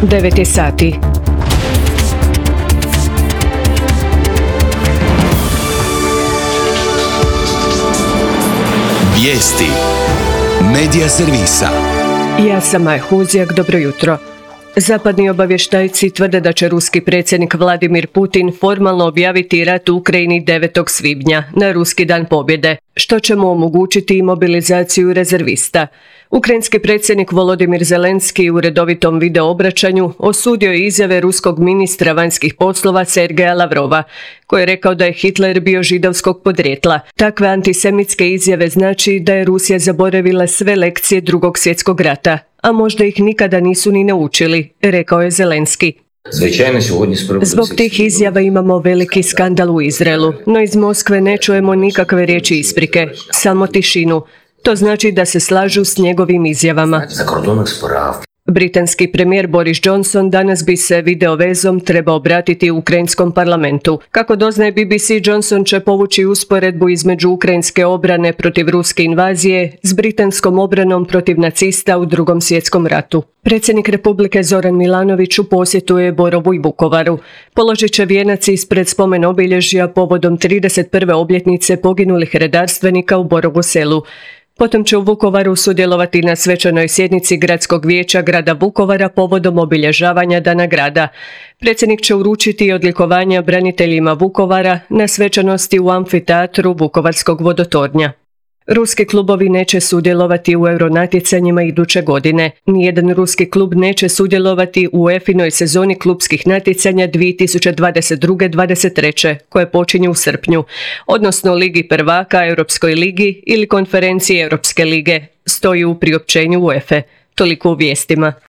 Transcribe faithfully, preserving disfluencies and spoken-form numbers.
devet je sati. Vijesti Medija servisa. Ja sam Maja Huzjak, dobro jutro. Zapadni obavještajci tvrde da će ruski predsjednik Vladimir Putin formalno objaviti rat u Ukrajini devetog svibnja, na ruski dan pobjede, što će mu omogućiti imobilizaciju rezervista. Ukrajinski predsjednik Volodimir Zelenski u redovitom video obraćanju osudio je izjave ruskog ministra vanjskih poslova Sergeja Lavrova, koji je rekao da je Hitler bio židovskog podrijetla. Takve antisemitske izjave znači da je Rusija zaboravila sve lekcije Drugog svjetskog rata, a možda ih nikada nisu ni naučili, rekao je Zelenski. Zbog tih izjava imamo veliki skandal u Izraelu, no iz Moskve ne čujemo nikakve riječi isprike, samo tišinu. To znači da se slažu s njegovim izjavama. Britanski premijer Boris Johnson danas bi se videovezom trebao obratiti u ukrajinskom parlamentu. Kako doznaje B B C, Johnson će povući usporedbu između ukrajinske obrane protiv ruske invazije s britanskom obranom protiv nacista u Drugom svjetskom ratu. Predsjednik Republike Zoran Milanović u posjetu je Borovu i Vukovaru. Položit će vijenac ispred spomen obilježja povodom trideset prve obljetnice poginulih redarstvenika u Borovu Selu. Potom će u Vukovaru sudjelovati na svečanoj sjednici Gradskog vijeća grada Vukovara povodom obilježavanja Dana grada. Predsjednik će uručiti odlikovanja braniteljima Vukovara na svečanosti u amfiteatru Vukovarskog vodotornja. Ruski klubovi neće sudjelovati u euronatjecanjima iduće godine. Nijedan ruski klub neće sudjelovati u UEFA-inoj sezoni klubskih natjecanja dvije tisuće dvadeset druge dvadeset treće koje počinju u srpnju, odnosno Ligi prvaka, Europskoj ligi ili konferenciji Europske lige, stoji u priopćenju UEFA. Toliko u vijestima.